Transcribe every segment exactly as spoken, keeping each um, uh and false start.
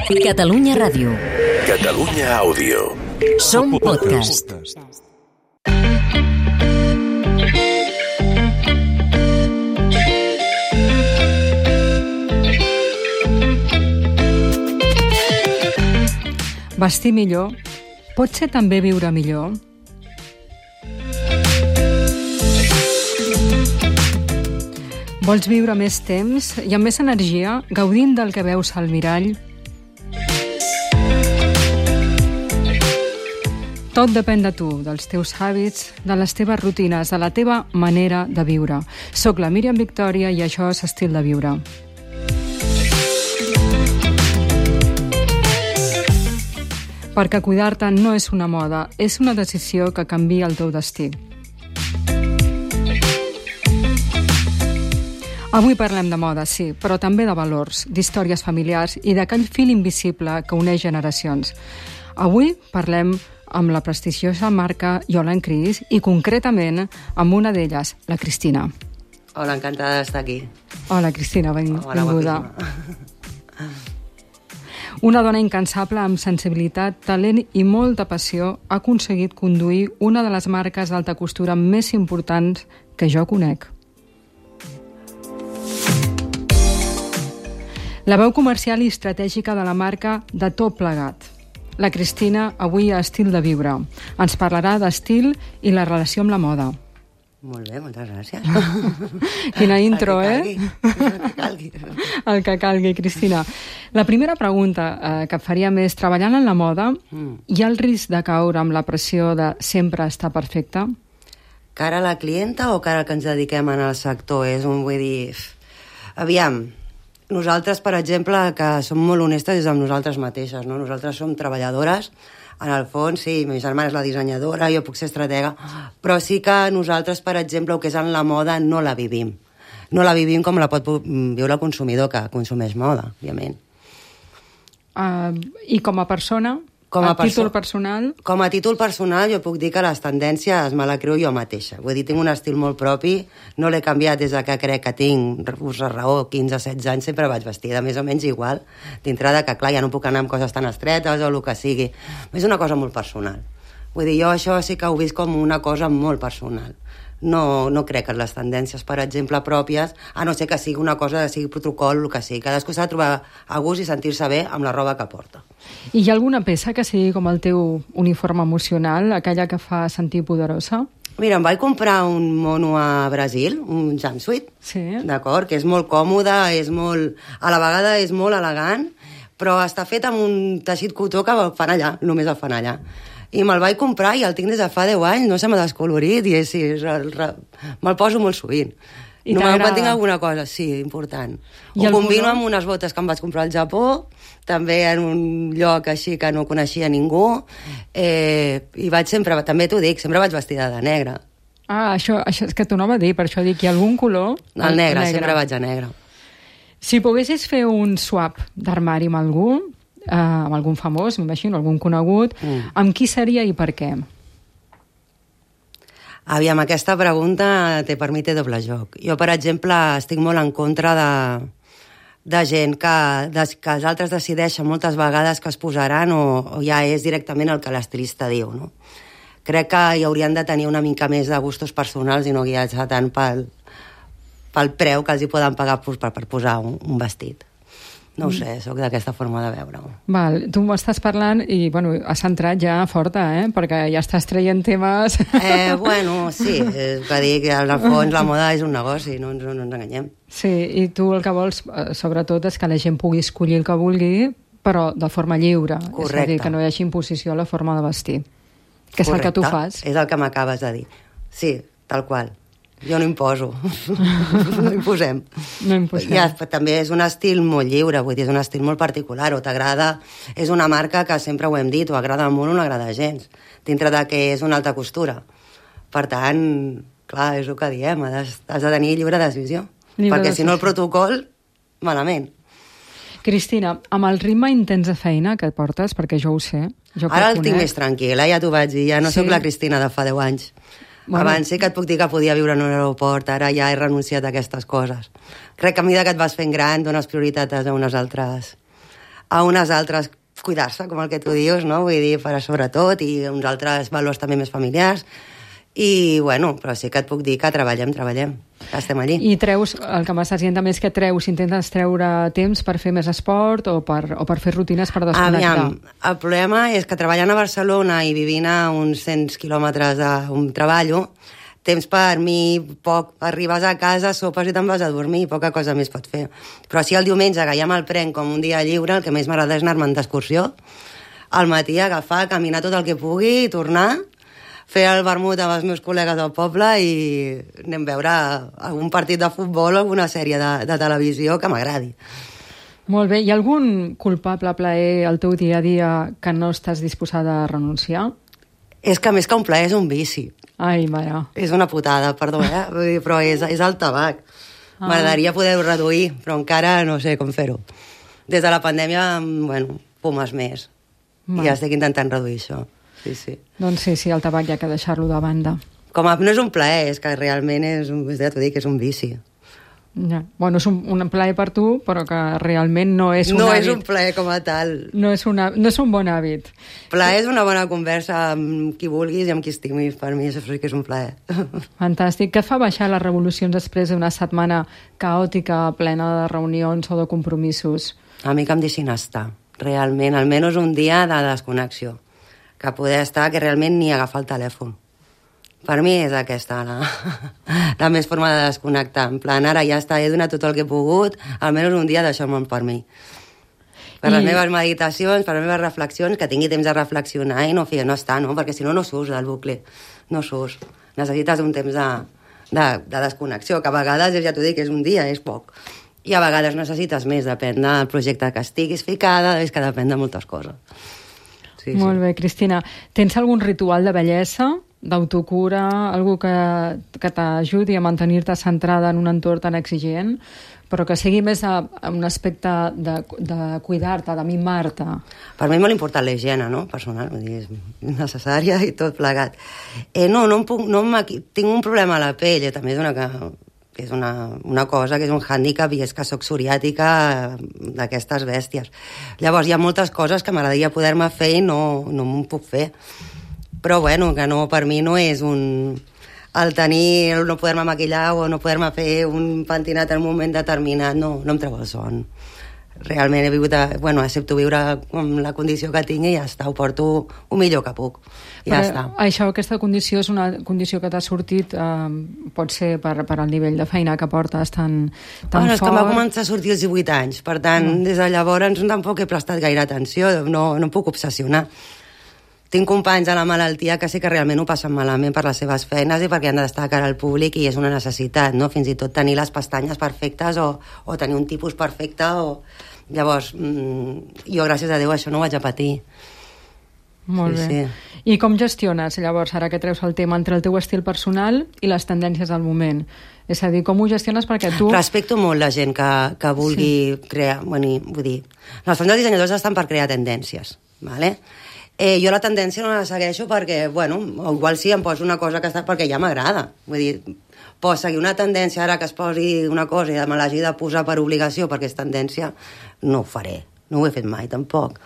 Catalunya Ràdio. Catalunya Àudio. Som podcast. Vestir millor pot ser també viure millor? Vols viure més temps i amb més energia, gaudint del que veus al mirall? Tot depèn de tu, dels teus hàbits, de les teves rutines, de la teva manera de viure. Soc la Míriam Victòria i això és Estil de Viure. Perquè cuidar-te no és una moda, és una decisió que canvia el teu destí. Avui parlem de moda, sí, però també de valors, d'històries familiars i d'aquell fil invisible que uneix generacions. Avui parlem amb la prestigiosa marca Yola Cris i concretament amb una d'elles, la Cristina. Hola, encantada d'estar aquí. Hola, Cristina, ben, Hola, benvinguda. Una dona incansable amb sensibilitat, talent i molta passió ha aconseguit conduir una de les marques d'alta costura més importants que jo conec. La veu comercial i estratègica de la marca de tot plegat. La Cristina, avui a Estil de Viure. Ens parlarà d'estil i la relació amb la moda. Molt bé, moltes gràcies. Quina intro, eh? El que calgui. El que calgui, Cristina. La primera pregunta eh, que et faríem és, treballant en la moda, mm. hi ha el risc de caure amb la pressió de sempre estar perfecte? Cara a la clienta o cara al que ens dediquem en el sector? És un, vull dir... Aviam, nosaltres, per exemple, que som molt honestes és amb nosaltres mateixes, no? Nosaltres som treballadores, en el fons, sí, ma germana és la dissenyadora, jo puc ser estratega, però sí que nosaltres, per exemple, el que és en la moda, no la vivim. No la vivim com la pot viure el consumidor que consumeix moda, òbviament. Uh, I com a persona, com a, a títol personal? Com a títol personal jo puc dir que les tendències me la creo jo mateixa. Vull dir, tinc un estil molt propi, no l'he canviat des de que crec que tinc us raó, quinze o setze anys, sempre vaig vestida més o menys igual, dintre de que, clar, ja no puc anar amb coses tan estretes o el que sigui. És una cosa molt personal. Vull dir, jo això sí que ho visc com una cosa molt personal. No, no crec en les tendències, per exemple, pròpies, a no ser que sigui una cosa, que sigui protocol, el que sigui. Cadascú s'ha de trobar a gust i sentir-se bé amb la roba que porta. I hi ha alguna peça que sigui com el teu uniforme emocional, aquella que fa sentir poderosa? Mira, em vaig comprar un mono a Brasil, un jumpsuit, sí. D'acord, que és molt còmode, és molt... a la vegada és molt elegant, però està fet amb un teixit cotó que el fan allà, només el fan allà. I me'l vaig comprar i el tinc des de fa deu anys, no se m'ha descolorit i sí, me'l poso molt sovint. I no me'n tinc alguna cosa, sí, important. I ho combino color? Amb unes botes que em vaig comprar al Japó, també en un lloc així que no coneixia ningú, eh, i vaig sempre, també t'ho dic, sempre vaig vestida de negre. Ah, això, això és que t'ho anava a dir, per això dic, hi ha algun color? El negre, negre, sempre vaig a negre. Si poguessis fer un swap d'armari amb algú, Uh, amb algun famós, m'imagino, algun conegut, mm. amb qui seria i per què? Aviam, aquesta pregunta té, per mi té doble joc. Jo, per exemple, estic molt en contra de, de gent que, de, que els altres decideixen moltes vegades que es posaran o, o ja és directament el que l'estilista diu, no? Crec que hi haurien de tenir una mica més de gustos personals i no guiar-se tant pel, pel preu que els hi poden pagar per, per posar un, un vestit. No ho sé, sóc d'aquesta forma de veure-ho. Val, tu m'estàs parlant i, bueno, has entrat ja forta, eh? Perquè ja estàs traient temes... Eh, bueno, sí, és que dic que al fons la moda és un negoci, no ens, no ens enganyem. Sí, i tu el que vols, sobretot, és que la gent pugui escollir el que vulgui, però de forma lliure. Correcte. És a dir, que no hi hagi imposició a la forma de vestir. Que és Correcte. El que tu fas. És el que m'acabes de dir. Sí, tal qual. Jo no imposo. No imposem. No imposem. Ja, també és un estil molt lliure, vull dir, és un estil molt particular, o t'agrada... És una marca que sempre ho hem dit, o agrada molt o no agrada gens, dintre de que és una alta costura. Per tant, clar, és el que diem, has, has de tenir lliure decisió. Lliure perquè decisió. Si no el protocol, malament. Cristina, amb el ritme intens de feina que et portes, perquè jo ho sé... Jo Ara el tinc més tranquil·la, ja t'ho vaig dir, ja no sí? Soc la Cristina de fa deu anys. Bueno. Abans sí que et puc dir que podia viure en un aeroport, ara ja he renunciat a aquestes coses. Crec que a mesura que et vas fent gran dones prioritat a unes altres, a unes altres cuidar-se, com el que tu dius, no? Vull dir, per a sobretot, i uns altres valors també més familiars. I, bueno, però sí que et puc dir que treballem, treballem, que estem allí. I treus, el que m'estàs dient també és que treus, intentes treure temps per fer més esport o per, o per fer rutines per desconnectar. Aviam, el problema és que treballant a Barcelona i vivint a uns cent quilòmetres d'un treballo, temps per mi poc, arribes a casa, sopes i te'n vas a dormir, poca cosa més pot fer. Però si el diumenge, que ja me'l prenc com un dia lliure, el que més m'agrada és anar-me'n d'excursió, al matí agafar, caminar tot el que pugui i tornar, fer el vermut amb els meus col·legues del poble i anem a veure algun partit de futbol o alguna sèrie de, de televisió que m'agradi. Molt bé. Hi ha algun culpable plaer al teu dia a dia que no estàs disposada a renunciar? És que més que un plaer és un vici. Ai, mare. És una putada, perdó, eh? Vull dir, però és, és el tabac. Ah. M'agradaria poder-ho reduir, però encara no sé com fer-ho. Des de la pandèmia, bueno, fumes més. Va. I ja estic intentant reduir això. Sí, sí. Doncs sí, sí, el tabac hi ha que deixar-lo de banda. Com a, no és un plaer, és que realment és, ja t'ho dic, és un vici. Ja. Bueno, és un, un plaer per tu, però que realment no és un no hàbit. No és un plaer com a tal. No és, una, no és un bon hàbit. Plaer és una bona conversa amb qui vulguis i amb qui estimis. Per mi això sí que és un plaer. Fantàstic. Què et fa baixar les revolucions després d'una setmana caòtica, plena de reunions o de compromisos? A mi que em deixin estar. Realment, almenys un dia de desconnexió. Que poder estar, que realment ni agafar el telèfon. Per mi és aquesta la, la més forma de desconnectar. En plan, ara ja està, he donat tot el que he pogut, almenys un dia deixar-me'l per mi. Per I... les meves meditacions, per les meves reflexions, que tingui temps de reflexionar i no, fi, no estar, no? Perquè si no, no surts del bucle. No surts. Necessites un temps de, de, de desconnexió, que a vegades, ja t'ho dic, és un dia, és poc. I a vegades necessites més, depèn del projecte que estiguis ficada, és que depèn de moltes coses. Sí, Molt sí. bé, Cristina. Tens algun ritual de bellesa, d'autocura, algú que, que t'ajudi a mantenir-te centrada en un entorn tan exigent, però que sigui més a, a un aspecte de, de cuidar-te, de mimar-te? Per mi és molt important la higiene, no? Personal, vull dir, és necessària i tot plegat. Eh, no, no em puc, no em, tinc un problema a la pell, eh, també és una, que és una, una cosa que és un hàndicap i és que soc psoriàtica d'aquestes bèsties. Llavors hi ha moltes coses que m'agradaria poder-me fer i no, no m'ho puc fer. Però bueno, que no, per mi no és un... el tenir, el no poder-me maquillar o no poder-me fer un pentinat en un moment determinat, no, no em treu el son. Realment he vigut, a, bueno, accepto viure amb la condició que tinc i ja està, ho porto el millor que puc. Ja Però està. Això, aquesta condició és una condició que t'ha sortit, eh, pot ser per, per al nivell de feina que portes tan, tan bueno, fort. És que em va començar a sortir als divuit anys, per tant, mm. des de llavors tampoc he prestat gaire atenció, no, no em puc obsessionar. Tinc companys a la malaltia que sí que realment ho passen malament per les seves feines i perquè han d'estar a cara al públic i és una necessitat, no? Fins i tot tenir les pestanyes perfectes o, o tenir un tipus perfecte o... Llavors, mmm, jo gràcies a Déu això no ho vaig a patir. Molt sí, bé. Sí. I com gestiones, llavors, ara que treus el tema entre el teu estil personal i les tendències del moment? És a dir, com ho gestiones perquè tu... Respecto molt la gent que, que vulgui sí. crear... Bueno, vull dir, en el fons els dissenyadors estan per crear tendències, ¿vale? Eh, jo la tendència no la segueixo perquè, bueno, o igual sí, em poso una cosa que està perquè ja m'agrada. Vull dir, pots seguir una tendència ara que es posi una cosa i me l'hagi de posar per obligació perquè és tendència, no ho faré. No ho he fet mai, tampoc.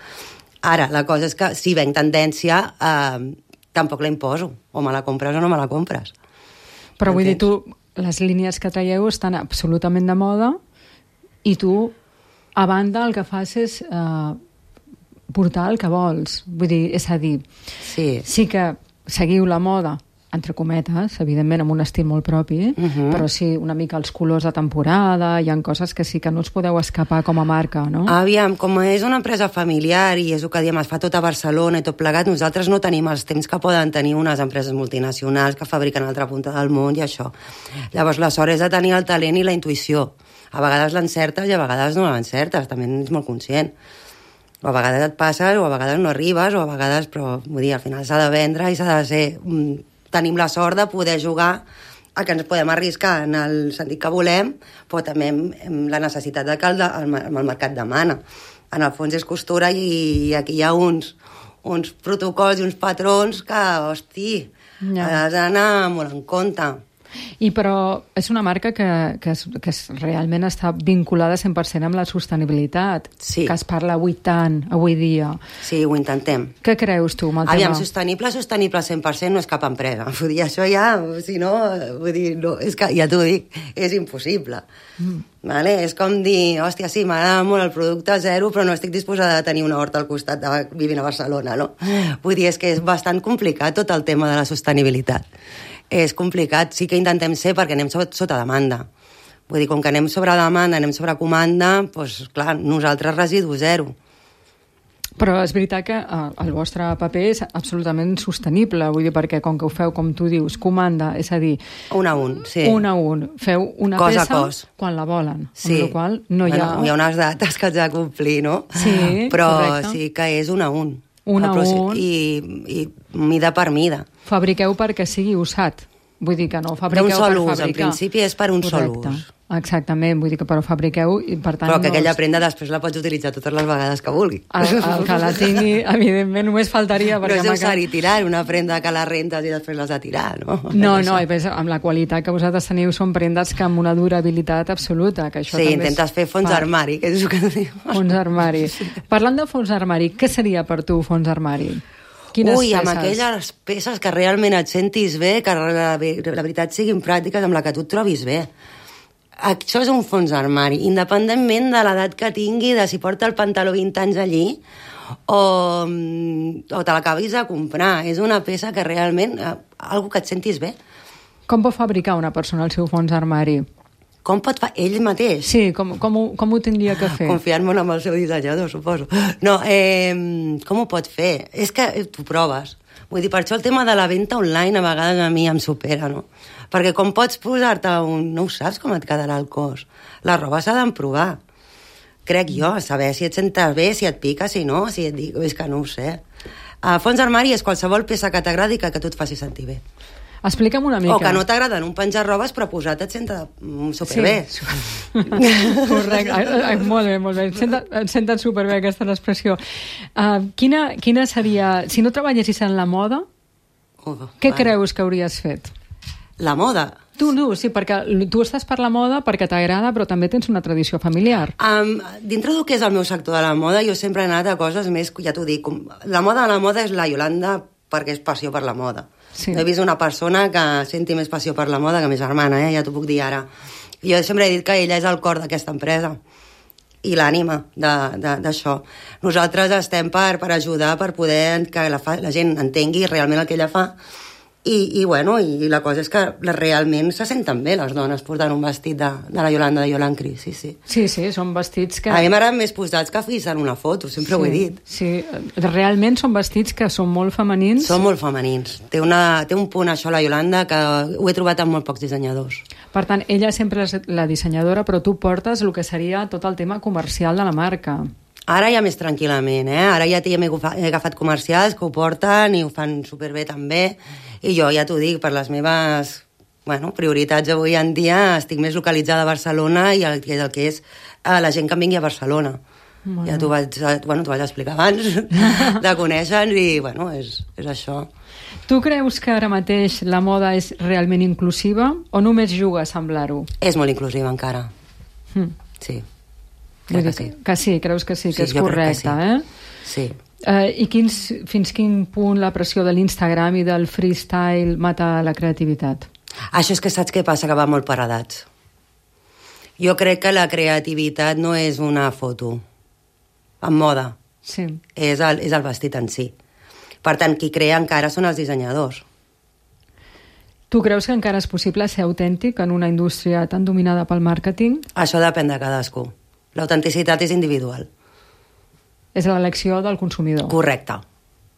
Ara, la cosa és que si venc tendència, eh, tampoc la imposo. O me la compres o no me la compres. Però vull dir, tu, les línies que traieu estan absolutament de moda i tu, a banda, el que fas és... Eh, portar el que vols. Vull dir, és a dir, sí, sí que seguiu la moda, entre cometes, evidentment amb un estil molt propi, uh-huh. però sí una mica els colors de temporada, hi ha coses que sí que no us podeu escapar com a marca, no? Aviam, com és una empresa familiar i és el que diem, es fa tot a Barcelona i tot plegat, nosaltres no tenim els temps que poden tenir unes empreses multinacionals que fabriquen a l'altra punta del món i això. Llavors, la sort és de tenir el talent i la intuïció. A vegades l'encertes i a vegades no l'encertes, també ets molt conscient. O a vegades et passes, o a vegades no arribes, o a vegades, però vull dir, al final s'ha de vendre i s'ha de ser... Tenim la sort de poder jugar a que ens podem arriscar en el sentit que volem, però també amb la necessitat de que el, el, el mercat demana. En el fons és costura i aquí hi ha uns, uns protocols i uns patrons que, hosti, ja. has d'anar molt en compte. I però és una marca que, que, es, que es realment està vinculada cent per cent amb la sostenibilitat, sí. que es parla avui tant, avui dia. Sí, ho intentem. Què creus tu amb el Aviam, tema? sostenible, sostenible cent per cent no és cap empresa. Vull dir, això ja, si no, vull dir, no, és que, ja t'ho dic, és impossible. Mm. Vale? És com dir, hòstia, sí, m'agrada molt el producte zero, però no estic disposada a tenir una horta al costat de vivint a Barcelona, no? Vull dir, és que és bastant complicat tot el tema de la sostenibilitat. És complicat, sí que intentem ser perquè anem sota, sota demanda. Vull dir, com que anem sobre demanda, anem sobre comanda, doncs, clar, nosaltres residu zero. Però és veritat que eh, el vostre paper és absolutament sostenible, vull dir, perquè com que ho feu, com tu dius, comanda, és a dir... Un a un, sí. Un a un. Feu una cos peça cos. quan la volen, sí. amb la qual no hi ha... Bueno, hi ha unes dates que haig de complir, no? Sí, però correcte. sí que és un a un. Un a un. I, I mida per mida. Fabriqueu perquè sigui usat. Vull dir que no fabriqueu per fabricar. D'un sol ús, en principi és per un Correcte. sol ús. Exactament, vull dir que però fabriqueu i per tant... Però que no aquella us... prenda després la pots utilitzar totes les vegades que vulgui. El, el que la tingui, evidentment, només faltaria... No és usar i tirar, una prenda que la rentes i després l'has de tirar, no? No, no, i més, amb la qualitat que vosaltres teniu són prendes que amb una durabilitat absoluta, que això sí, també intentes fer fons fa... armari, que és el que diu. Fons armari. Parlant de fons armari, què seria per tu fons armari? Quines Ui, peces? amb aquelles peces que realment et sentis bé, que la, la veritat siguin pràctiques, amb la que tu et trobis bé. Això és un fons armari, independentment de l'edat que tingui, de si porta el pantaló vint anys allí, o, o te l'acabis de comprar. És una peça que realment, eh, algo que et sentis bé. Com pot fabricar una persona el seu fons armari? Com pot fer ell mateix? Sí, com, com, ho, com ho tindria que fer? Confiant molt en el seu dissenyador, suposo. No, eh, com ho pot fer? És que t'ho proves. Vull dir, per això el tema de la venda online a vegades a mi em supera, no? Perquè com pots posar-te un... No ho saps com et quedarà el cos. La roba s'ha d'emprovar. Crec jo, saber si et sentes bé, si et pica, si no, si et dic... És que no ho sé. A fons armari és qualsevol peça que t'agradi que, que tu et faci sentir bé. Explica'm una mica. O que no t'agraden un penjar robes, però posat et senta superbé. Sí. Correcte. Ai, molt bé, molt bé. Et senten, et senten superbé aquesta expressió. Uh, quina, quina seria... Si no treballessis en la moda, uh, què vale. creus que hauries fet? La moda? Tu, tu, sí, perquè tu estàs per la moda perquè t'agrada, però també tens una tradició familiar. Um, dintre del que és el meu sector de la moda, jo sempre he anat a coses més, ja t'ho dic, la moda de la moda és la Iolanda perquè és passió per la moda. Sí. He vist una persona que senti més passió per la moda que ma germana, eh? Ja t'ho puc dir ara. Jo sempre he dit que ella és el cor d'aquesta empresa i l'ànima d'això. Nosaltres estem per, per ajudar, per poder que la, fa, la gent entengui realment el que ella fa. I, i, bueno, i la cosa és que realment se senten bé les dones portant un vestit de, de la Iolanda de Yolan Cris, sí, sí. Sí, sí, són vestits que... A mi m'agraden més posats que fixar una foto, sempre sí, ho he dit. Sí, realment són vestits que són molt femenins. Són molt femenins. Té, una, té un punt, això, la Iolanda, que ho he trobat en molt pocs dissenyadors. Per tant, ella sempre és la dissenyadora, però tu portes el que seria tot el tema comercial de la marca. Ara ja més tranquil·lament, eh? Ara ja he agafat comercials que ho porten i ho fan superbé també. I jo ja t'ho dic, per les meves bueno, prioritats avui en dia estic més localitzada a Barcelona i el, el que és eh, la gent que em vingui a Barcelona. Bueno. Ja t'ho vaig, bueno, vaig explicar abans de conèixer-nos i bueno, és, és això. Tu creus que ara mateix la moda és realment inclusiva o només juga a semblar-ho? És molt inclusiva encara. Mm. Sí. Crec que sí. Que sí, creus que sí, que sí, és correcte, sí. eh? Sí. Uh, I quins, fins quin punt la pressió de l'Instagram i del freestyle mata la creativitat? Això és que saps què passa? Que va molt per edats. Jo crec que la creativitat no és una foto en moda. Sí. És el, és el vestit en si. Per tant, qui crea encara són els dissenyadors. Tu creus que encara és possible ser autèntic en una indústria tan dominada pel màrqueting? Això depèn de cadascú. L'autenticitat és individual. És l'elecció del consumidor. Correcte.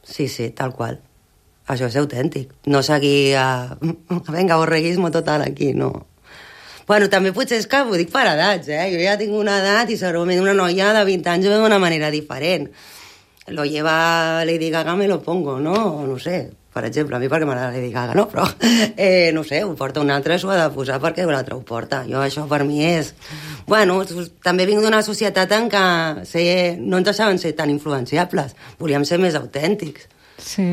Sí, sí, tal qual. Això és autèntic. No seguir a... Vinga, borreguismo total aquí, no. Bueno, també potser és que ho dic per edats, eh? Jo ja tinc una edat i segurament una noia de vint anys ho veu d'una manera diferent. Lo lleva Lady Gaga, me lo pongo, no? O no sé, per exemple, a mi perquè m'agrada Lady Gaga, no? Però, eh, no sé, ho porta un altre, s'ho ha de posar perquè un altre ho porta. Jo, això per mi és... Bueno, també vinc d'una societat en què ser, no ens deixaven ser tan influenciables. Volíem ser més autèntics. Sí.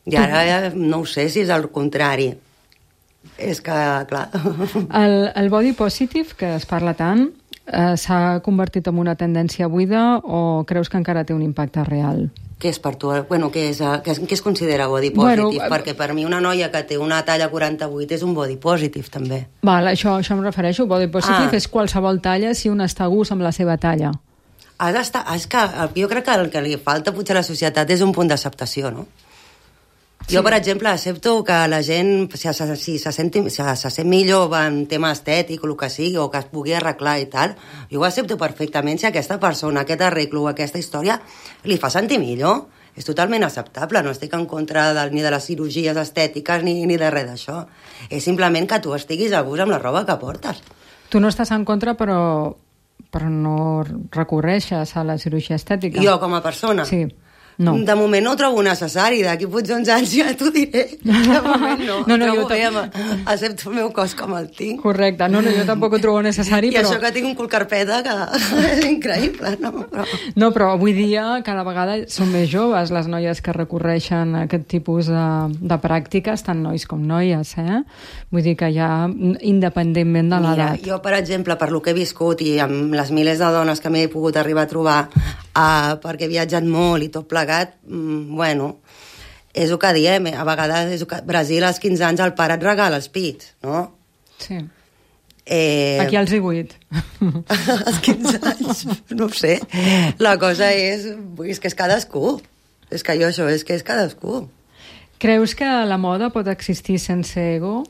I ara ja no ho sé si és el contrari. És que, clar... El, el body positive, que es parla tant, eh, s'ha convertit en una tendència buida o creus que encara té un impacte real? Què és per tu? Bueno, què, és, què, és, què es considera body positive? Bueno, perquè per mi una noia que té una talla quaranta-vuit és un body positive, també. Val, això, això em refereixo. Body positive Ah. és qualsevol talla si un està a gust amb la seva talla. Has d'estar... És que jo crec que el que li falta potser a la societat és un punt d'acceptació, no? Sí. Jo, per exemple, accepto que la gent, si se, si se, senti, si se sent millor en tema estètic o el que sigui, o que es pugui arreglar i tal, jo ho accepto perfectament si aquesta persona, aquest arreglo o aquesta història li fa sentir millor. És totalment acceptable, no estic en contra de, ni de les cirurgies estètiques ni, ni de res d'això. És simplement que tu estiguis a gust amb la roba que portes. Tu no estàs en contra, però, però no recorreixes a la cirurgia estètica. Jo, com a persona? Sí. No. De moment no ho trobo necessari, d'aquí potser uns anys ja t'ho diré. De moment no, no, no trobo jo bé, accepto el meu cos com el tinc. Correcte, no, no, jo tampoc ho trobo necessari, I però... això que tinc un cul carpeta que és increïble, no? Però... No, però avui dia cada vegada són més joves les noies que recorreixen a aquest tipus de, de pràctiques, tant nois com noies, eh? Vull dir que ja, independentment de l'edat. Mira, jo, per exemple, per lo que he viscut i amb les milers de dones que m'he pogut arribar a trobar, uh, perquè he viatjat molt i tot plegat, mm, bueno, és el que diem, a vegades és el que... Brasil als quinze anys el pare et regala els pits, no? Sí. Eh... Aquí als divuit. als quinze anys, no ho sé. La cosa és, és que és cadascú. És que jo això és que és cadascú. Creus que la moda pot existir sense ego?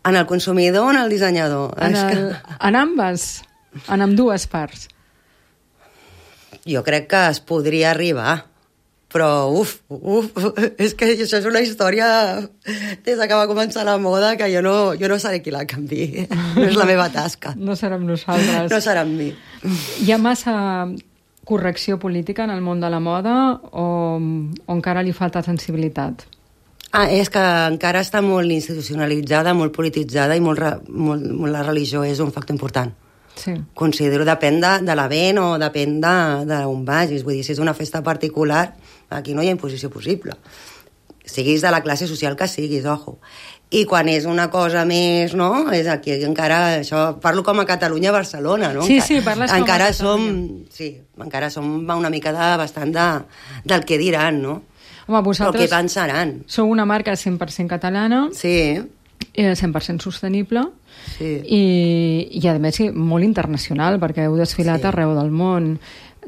En el consumidor o en el dissenyador? En, És el, que... en ambes, en ambdues parts. Jo crec que es podria arribar, però uf, uf, és que això és una història des que va començar la moda que jo no, jo no seré qui la canvi, no és la meva tasca. No serem nosaltres. No serà amb mi. Hi ha massa correcció política en el món de la moda o, o encara li falta sensibilitat? Ah, és que encara està molt institucionalitzada, molt polititzada i molt, molt, molt la religió és un factor important. Sí. Considero, depèn de, de l'event o depèn d'on vagis. Vull dir, si és una festa particular, aquí no hi ha imposició possible. Siguis de la classe social que siguis, ojo. I quan és una cosa més, no? És aquí encara, això, parlo com a Catalunya, Barcelona, no? Sí, sí, parles com a encara Catalunya. som, sí, encara som una mica de, bastant de, del que diran, no? Home, vosaltres... Però què pensaran? Sou una marca cent per cent catalana, Sí. eh, cent per cent sostenible, Sí. i, i a més sí, molt internacional, perquè heu desfilat Sí. arreu del món.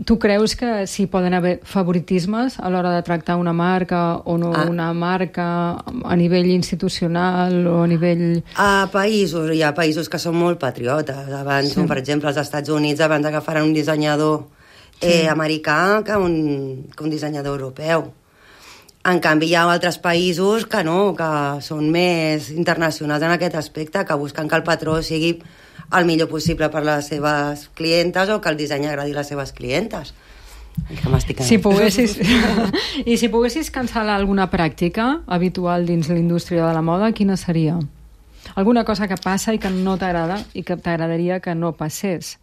Tu creus que sí poden haver favoritismes a l'hora de tractar una marca o no Ah. una marca a nivell institucional o a nivell... A països, hi ha països que són molt patriotes. Abans, Sí. sí. per exemple, als Estats Units, abans agafaran un dissenyador eh, Sí. americà que un, que un dissenyador europeu. En canvi, hi ha altres països que no, que són més internacionals en aquest aspecte, que busquen que el patró sigui el millor possible per les seves clientes o que el disseny agradi a les seves clientes. Que m'estic Si poguessis... I si poguessis cancel·lar alguna pràctica habitual dins l'indústria de la moda, quina seria? Alguna cosa que passa i que no t'agrada i que t'agradaria que no passés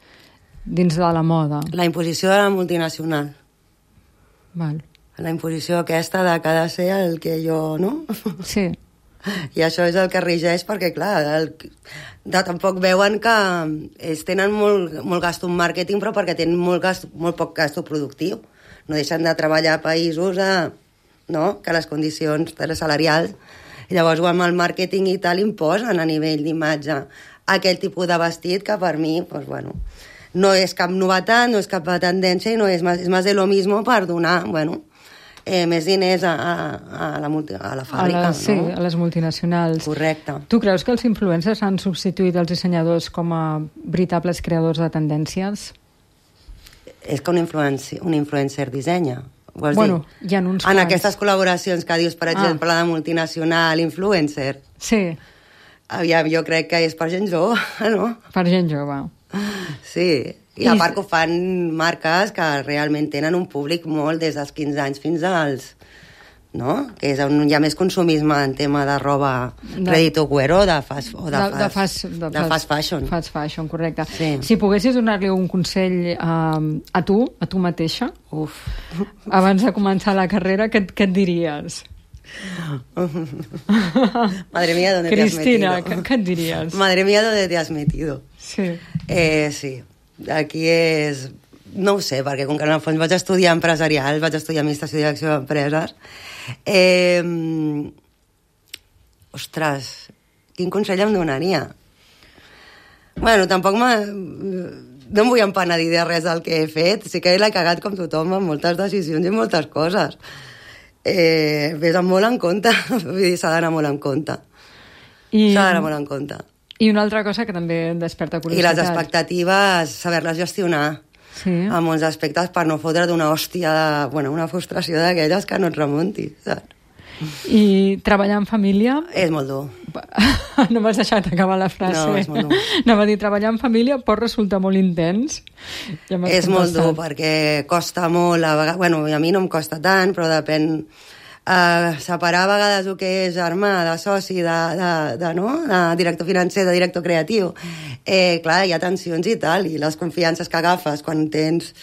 dins de la moda. La imposició de la multinacional. Val. La imposició aquesta de que ha de ser el que jo, no? Sí. I això és el que regeix perquè, clar, el, de, tampoc veuen que ells tenen molt, molt gasto en màrqueting, però perquè tenen molt, gasto, molt poc gasto productiu. No deixen de treballar a països a, no? que les condicions salarials, i llavors amb el màrqueting i tal imposen a nivell d'imatge aquell tipus de vestit que per mi, pues, bueno, no és cap novetat, no és cap tendència i no és, és més de lo mismo per donar, bueno, Eh, més diners a, a, a, la, multi, a la fàbrica, a les, sí, no? a les multinacionals. Correcte. Tu creus que els influencers han substituït els dissenyadors com a veritables creadors de tendències? És que un influencer, un influencer dissenya. Vols Bueno, dir? hi ha uns En quants. aquestes col·laboracions que dius, per exemple, Ah. la de multinacional, influencer, Sí, aviam, jo crec que és per gent jove, no? per gent jove. Sí, i I- a part que ho fan marques que realment tenen un públic molt des dels quinze anys fins als... no? Que és on hi ha més consumisme en tema de roba De- ready to wear o de fast, o de, de, fast, de, fast, de, de fast fashion. Fast fashion, correcte. Sí. Si poguessis donar-li un consell a, a tu, a tu mateixa, Uf. abans de començar la carrera, què, et- què et diries? Madre mía, ¿dónde Cristina, te has metido? què et diries? Madre mía, ¿dónde te has metido? Sí. Eh, sí, aquí és... No ho sé, perquè com que en el fons vaig estudiar empresarial, vaig estudiar administració i direcció d'empreses, eh, ostres, quin consell em donaria? Bueno, tampoc m'ha... no em vull empenedir de res del que he fet, sí que l'he cagat com tothom en moltes decisions i moltes coses. Eh, Ves molt en compte, vull dir, s'ha d'anar molt en compte. I... S'ha d'anar molt en compte. I una altra cosa que també desperta I curiositat. les expectatives, saber-les gestionar. Sí. En molts aspectes per no fotre d'una hòstia, de, bueno, una frustració d'aquelles que no et remuntis, saps? I treballar en família... És molt dur. No m'has deixat acabar la frase. No, és molt dur. Anava a dir, treballar en família pot resultar molt intens. Ja m'has És molt contestat. dur, perquè costa molt, a vegades... Bueno, a mi no em costa tant, però depèn... Uh, separar a vegades el que és germà, de soci, de, de, de, no? de director financer, de director creatiu. Eh, clar, hi ha tensions i tal, i les confiances que agafes quan tens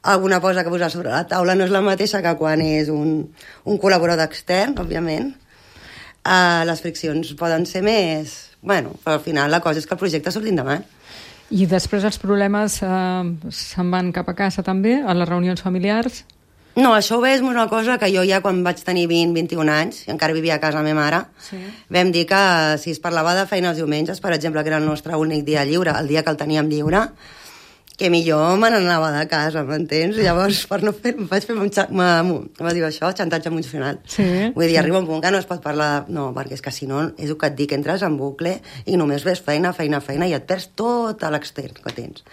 alguna cosa que posar sobre la taula no és la mateixa que quan és un, un col·laborador extern, òbviament. Uh, les friccions poden ser més... Bueno, però al final la cosa és que el projecte surti endavant. I després els problemes eh, se'n van cap a casa també, a les reunions familiars? No, això és una cosa que jo ja quan vaig tenir vint, vint-i-un anys, i encara vivia a casa la meva mare, sí. Vam dir que si es parlava de feina els diumenges, per exemple, que era el nostre únic dia lliure, el dia que el teníem lliure, que millor me n'anava de casa, m'entens? Llavors, per no fer, vaig fer un xa... com es diu això? Xantatge emocional. Sí, Vull dir, sí. arriba un punt que no es pot parlar... De... No, perquè és que si no, és el que et dic, entres en bucle i només ves feina, feina, feina, i et perds tot l'extern que tens.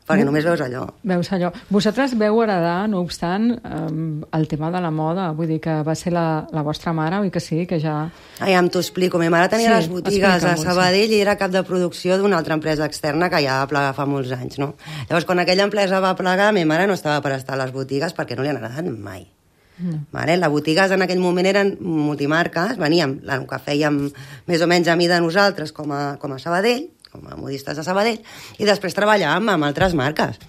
Perquè només veus allò. Veus allò. Vosaltres veu heredar, no obstant, eh, el tema de la moda. Vull dir que va ser la, la vostra mare, oi que sí, que ja... Ai, ja t'ho explico. Ma mare tenia Sí, les botigues a explica'm-ho, Sabadell sí. I era cap de producció d'una altra empresa externa que ja va plegar fa molts anys, no? Llavors, quan aquella empresa va plegar, ma mare no estava per estar a les botigues perquè no li han agradat mai. Mm. Vale? Les botigues en aquell moment eren multimarques, veníem, el que fèiem més o menys a mi de nosaltres com a, com a Sabadell, com a modistes de Sabadell, i després treballàvem amb altres marques.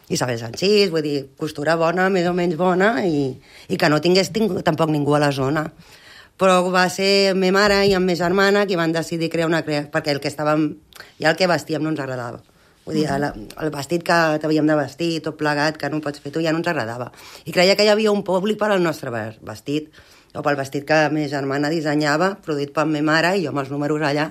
Isabel Sanchís, vull dir, costura bona, més o menys bona, i, i que no tingués ting tampoc ningú a la zona. Però va ser ma mare i amb ma germana qui van decidir crear una... Crea... perquè el que estàvem... ja el que vestíem no ens agradava. Vull dir, el, el vestit que t'havíem de vestir, tot plegat, que no pots fer tu, ja no ens agradava. I creia que hi havia un públic per al nostre vestit, o pel vestit que ma germana dissenyava, produït per ma mare, i jo amb els números allà,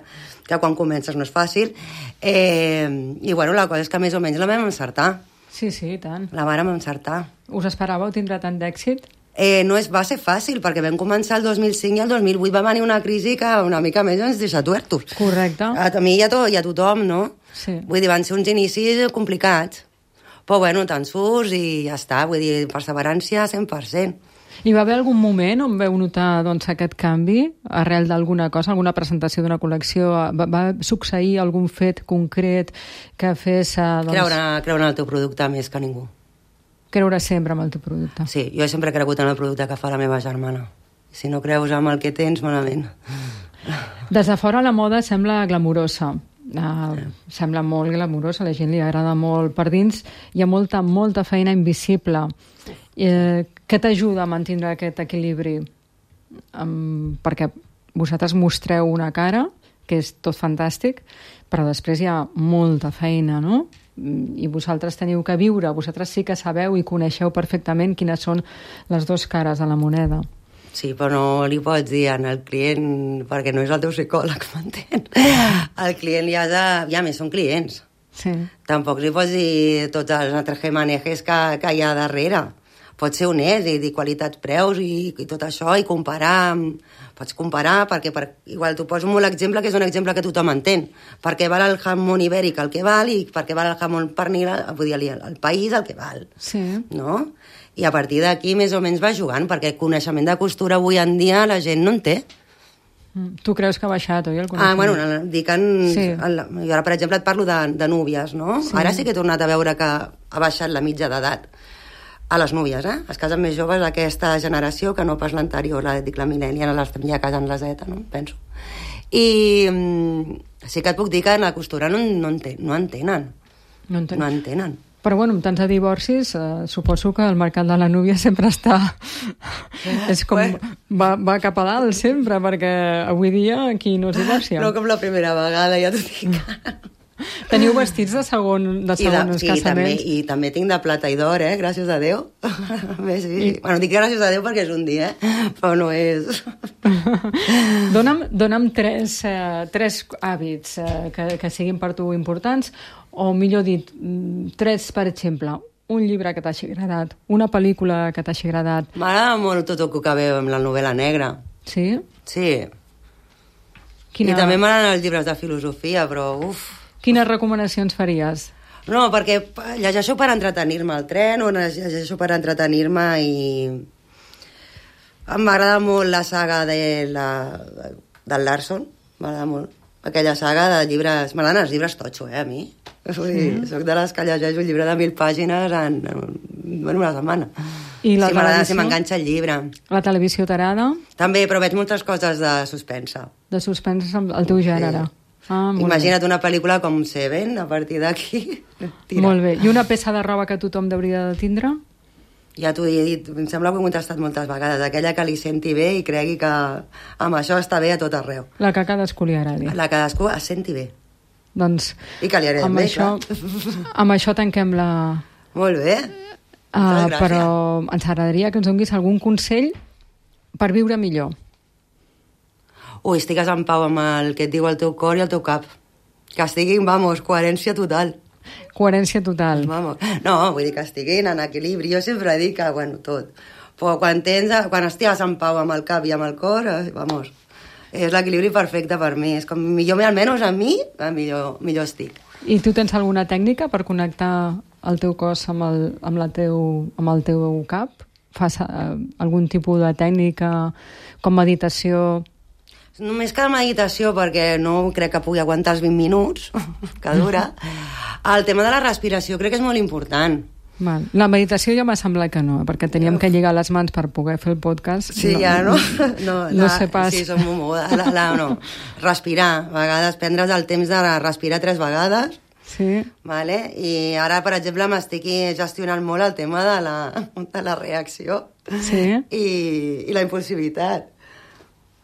que quan comences no és fàcil. Eh, I bueno, la cosa és que més o menys la vam encertar. Sí, sí, i tant. La vàrem encertar. Us esperàveu tindre tant d'èxit? Eh, no és, va ser fàcil, perquè vam començar el dos mil cinc i el dos mil vuit va venir una crisi que una mica més ens deixa tuertos. Correcte. A, a mi i a, to, i a tothom, no? Sí. Vull dir, van ser uns inicis complicats. Però bueno, te'n surts i ja està. Vull dir, perseverància cent per cent. Hi va haver algun moment on veu notar doncs, aquest canvi arrel d'alguna cosa, alguna presentació d'una col·lecció? Va, va succeir algun fet concret que fes... Doncs... Creure, creure en el teu producte més que ningú. Creure sempre en el teu producte. Sí, jo sempre he cregut en el producte que fa la meva germana. Si no creus en el que tens, malament. Des de fora la moda sembla glamurosa. Uh, sembla molt glamurosa, a la gent li agrada molt. Per dins hi ha molta, molta feina invisible. Eh, què t'ajuda a mantenir aquest equilibri? Um, perquè vosaltres mostreu una cara, que és tot fantàstic, però després hi ha molta feina, no? I vosaltres teniu que viure, vosaltres sí que sabeu i coneixeu perfectament quines són les dues cares de la moneda. Sí, però no li pots dir al client, perquè no és el teu psicòleg, m'entén? El client ja, de, ja més són clients. Sí. Tampoc li pots dir tots els entrejemanejes que, que hi ha darrere. Pots ser honest i dir qualitats-preus i, i tot això, i comparar. Pots comparar, perquè per, igual t'ho poso molt exemple, que és un exemple que tothom entén. Perquè val el jamón ibèric el que val i perquè val el jamón pernil, vull dir, el, el país el que val. Sí. No? I a partir d'aquí més o menys va jugant, perquè el coneixement de costura avui en dia la gent no en té. Tu creus que ha baixat, oi, el coneixement? Ah, bueno, dic en... Sí. En, jo ara, per exemple, et parlo de, de núvies, no? Sí. Ara sí que he tornat a veure que ha baixat la mitja d'edat a les núvies, eh? Es casen més joves d'aquesta generació que no pas l'anterior, la, dic la millennial, les ja casen la Z, no? Penso. I mm, sí que et puc dir que en la costura no, no, enten, no entenen. No entenen. No entenen. Però, bueno, amb tants de divorcis, eh, suposo que el mercat de la núvia sempre està... és com... Va, va cap a dalt sempre, perquè avui dia qui no es divorcia? No com la primera vegada, ja t'ho dic. Teniu vestits de segon, de segons sí, casaments? També, i també tinc de plata i d'or, eh? Gràcies a Déu. Bé, sí. I... Bueno, dic gràcies a Déu perquè és un dia, eh? Però no és... dona'm, dona'm tres, eh, tres hàbits eh, que, que siguin per tu importants, o millor dit, tres, per exemple, un llibre que t'hagi agradat, una pel·lícula que t'hagi agradat. M'agrada molt tot el que veu amb la novel·la negra. Sí? Sí. Quina... I també m'agraden els llibres de filosofia, però uf... Quines recomanacions faries? No, perquè llegeixo per entretenir-me al tren o llegeixo per entretenir-me i... M'agrada molt la saga de la... del Larson, m'agrada molt. Aquella saga de llibres... M'agraden els llibres totxo, eh, a mi. Vull dir, sí. Soc de les que llegeixo un llibre de mil pàgines en, en, en una setmana. I la si m'agrada, si m'enganxa el llibre. La televisió t'agrada? També, però veig moltes coses de suspensa. De suspensa, el teu gènere. Sí. Ah, imagina't bé. Una pel·lícula com Seven, a partir d'aquí. Molt bé. I una peça de roba que tothom hauria de tindre? Ja t'ho he dit, em sembla que ho he contestat moltes vegades. Aquella que li senti bé i cregui que amb això està bé a tot arreu. La que cadascú li agradi. La que cadascú es senti bé. Doncs I que li agradi amb bé, això, amb això tanquem la... Molt bé. Uh, però ens agradaria que ens donguis algun consell per viure millor. Ui, estigues en pau amb el que et diu el teu cor i el teu cap. Que estiguin, vamos, coherència total. Coherència total. Vamos. No, vull dir que estiguin en equilibri. Jo sempre dic que, bueno, tot. Però quan, tens, quan estigues en pau amb el cap i amb el cor, vamos, és l'equilibri perfecte per mi. És com, millor, almenys a mi, millor, millor estic. I tu tens alguna tècnica per connectar el teu cos amb el, amb la teu, amb el teu cap? Fas uh, algun tipus de tècnica com meditació? Només que la meditació, perquè no crec que pugui aguantar els vint minuts que dura. El tema de la respiració crec que és molt important. Val. La meditació ja m'ha semblat que no, perquè teníem que lligar les mans per poder fer el podcast. Sí, no, ja, no? No, no la, sé pas. Sí, som molt moguda. La, la, no. Respirar, a vegades prendre's el temps de respirar tres vegades. Sí. Vale? I ara, per exemple, m'estic gestionant molt el tema de la, de la reacció. Sí. I, i la impulsivitat.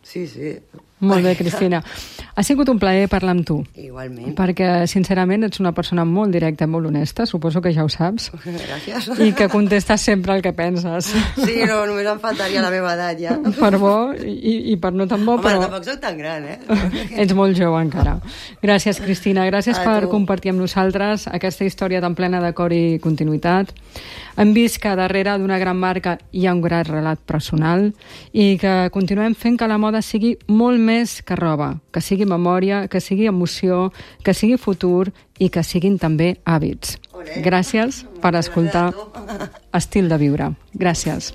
Sí, sí. Molt bé, Cristina. Ha sigut un plaer parlar amb tu. Igualment. Perquè, sincerament, ets una persona molt directa i molt honesta, suposo que ja ho saps. Gràcies. I que contestes sempre el que penses. Sí, no, només em faltaria la meva edat, ja. Per bo i, i per no tan bo, Home, però... Home, tampoc soc tan gran, eh? Ets molt jove encara. Gràcies, Cristina. Gràcies A per tu. compartir amb nosaltres aquesta història tan plena de cor i continuïtat. Hem vist que darrere d'una gran marca hi ha un gran relat personal i que continuem fent que la moda sigui molt més que roba, que sigui memòria, que sigui emoció, que sigui futur i que siguin també hàbits. Olé. Gràcies per escoltar Estil de Viure. Gràcies.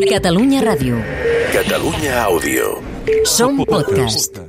Catalunya Ràdio. Catalunya Àudio. Som podcast.